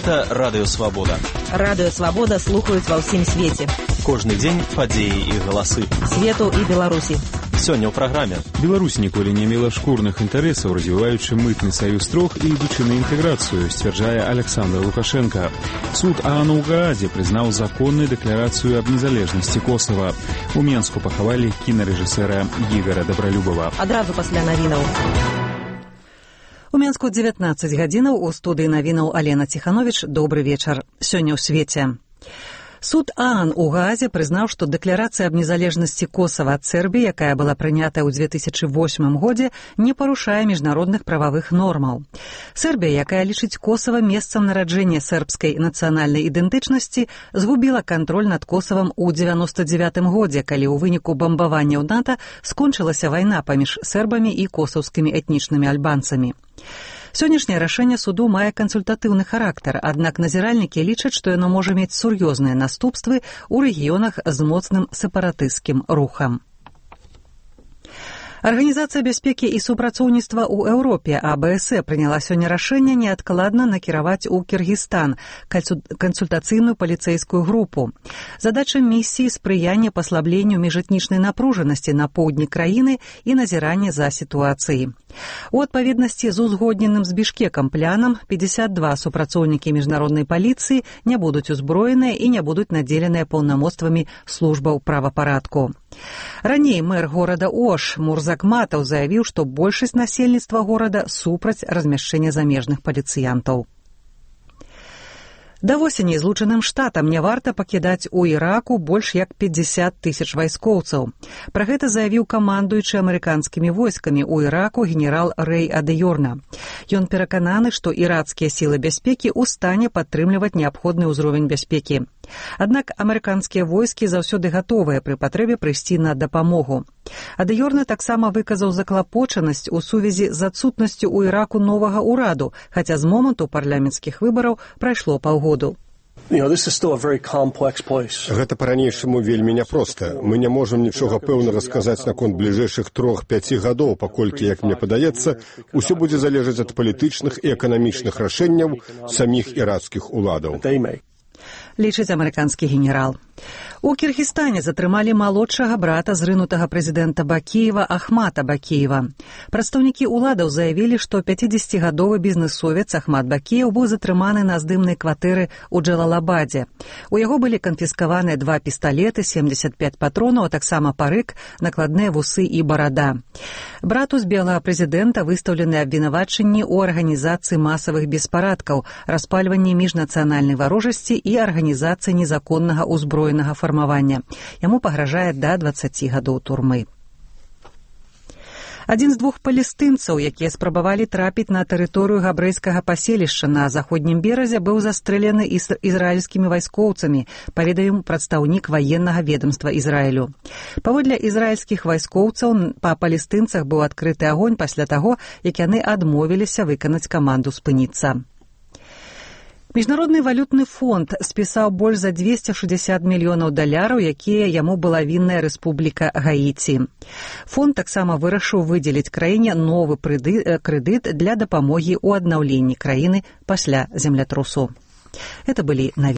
Гэта Радыё Свабода. Радыё Свабода слухаюць ва ўсім свеце. Кожны дзень падзеі і галасы. Свету і Беларусі. Сёння ў праграме. Беларусь ніколі не мела шкурных інтарэсаў, развіваючы мытны саюз трох і ідучы на інтэграцыю, сцвярджае Александр Лукашенко. Суд ААН у Гаазе прызнаў законнай дэкларацыю аб незалежнасці Косава. У Менску пахавалі кінарэжысэра Ігора Дабралюбова. Адразу пасля навінаў. У Менску 19 гадзінаў, у студыі навінаў Алена Ціхановіч. Добры вечар. Сёння ў свеце. Суд ААН у Гаазе прызнаў, што дэкларацыя аб незалежнасці Косава ад Сербіі, якая была прынятая ў 2008 годзе, не парушае міжнародных прававых нормаў. Сербія, якая лічыць Косава месцам нараджэння сербскай нацыянальнай ідэнтычнасці, згубіла кантроль над Косавам у 99 годзе, калі ў выніку бамбаванняў НАТО скончылася вайна паміж сербамі і косаўскімі этнічнымі альбанцамі. Сённяшняе рашэнне суду мае кансультатыўны характар, аднак назіральнікі лічаць, што яно можа мець сур'ёзныя наступствы ў рэгіёнах з моцным сепаратысцкім рухам. Арганізацыя бяспекі і супрацоўніцтва ў Еўропе АБСЕ прыняла сёння рашэнне неадкладна накіраваць у Кіргізстан кансультацыйную паліцэйскую групу. Задача місіі спрыяння паслабленню міжэтнічнай напружанасці на поўдні краіны і назіранне за сітуацыяй. У адпаведнасці з узгодненым з Бішкекам планам 52 супрацоўнікі міжнароднай паліцыі не будуць узброеныя і не будуць надзеленыя паўнамоцтвамі службаў правапарадку. Раней мэр горада Ош Мурзак Матаў заявіў, што большасць насельніцтва горада супраць размяшчэння замежных паліцыянтаў. Да восені Злучаным Штатам не варта пакідаць у Іраку больш як 50 тысяч вайскоўцаў. Пра гэта заявіў камандуючы амерыканскімі войскамі ў Іраку генерал Рэй Адыёрна. Ён перакананы, што ірацкія сілы бяспекі ў стане падтрымліваць неабходны ўзровень бяспекі. Аднак амерыканскія войскі заўсёды гатовыя пры патрэбе прыйсці на дапамогу. Адыёрна таксама выказаў заклапочанасць у сувязі з адсутнасцю ў Іраку новага ўраду, хаця з моманту парламенцкіх выбараў прайшло паўгоду. Гэта па-ранейшаму вельмі няпроста. Мы не можам нічога пэўнага сказаць наконт бліжэйшых 3-5 гадоў, паколькі, як мне падаецца, усё будзе залежаць ад палітычных і эканамічных рашэнняў саміх іракскіх уладаў. Лічыць амерыканскі генерал. У Кіргізстане затрымалі малодшага брата зрынутага прэзідэнта Бакіева Ахмата Бакіева. Прадстаўнікі ўладаў заявілі, што 50-гадовы бізнэсовец Ахмат Бакіев быў затрыманы на здымнай кватэры ў Джалалабадзе. У яго былі канфіскаваныя 2 пісталеты, 75 патронаў, а таксама парык, накладныя вусы і барада. Брату збеглага прэзідэнта выстаўлены абвінавачанні ў арганізацыі масавых беспарадкаў, распальванні міжнацыянальнай варожасці і арганізацыі незаконнага ўзброенага фармавання. Яму пагражае да 20 гадоў турмы. Адзін з 2 палестынцаў, якія спрабавалі трапіць на тэрыторыю габрэйскага паселішча на заходнім беразе, быў застрэлены ізраільскімі вайскоўцамі, паведаміў прадстаўнік ваеннага ведамства Ізраілю. Паводле ізраільскіх вайскоўцаў па палестынцах быў адкрыты агонь пасля таго, як яны адмовіліся выканаць каманду спыніцца. Міжнародны валютны фонд спісаў больш за $260 мільёнаў, якія яму была вінная Рэспубліка Гаіці. Фонд таксама вырашыў выдзеліць краіне новы крэдыт для дапамогі ў аднаўленні краіны пасля землятрусу. Гэта былі навіны.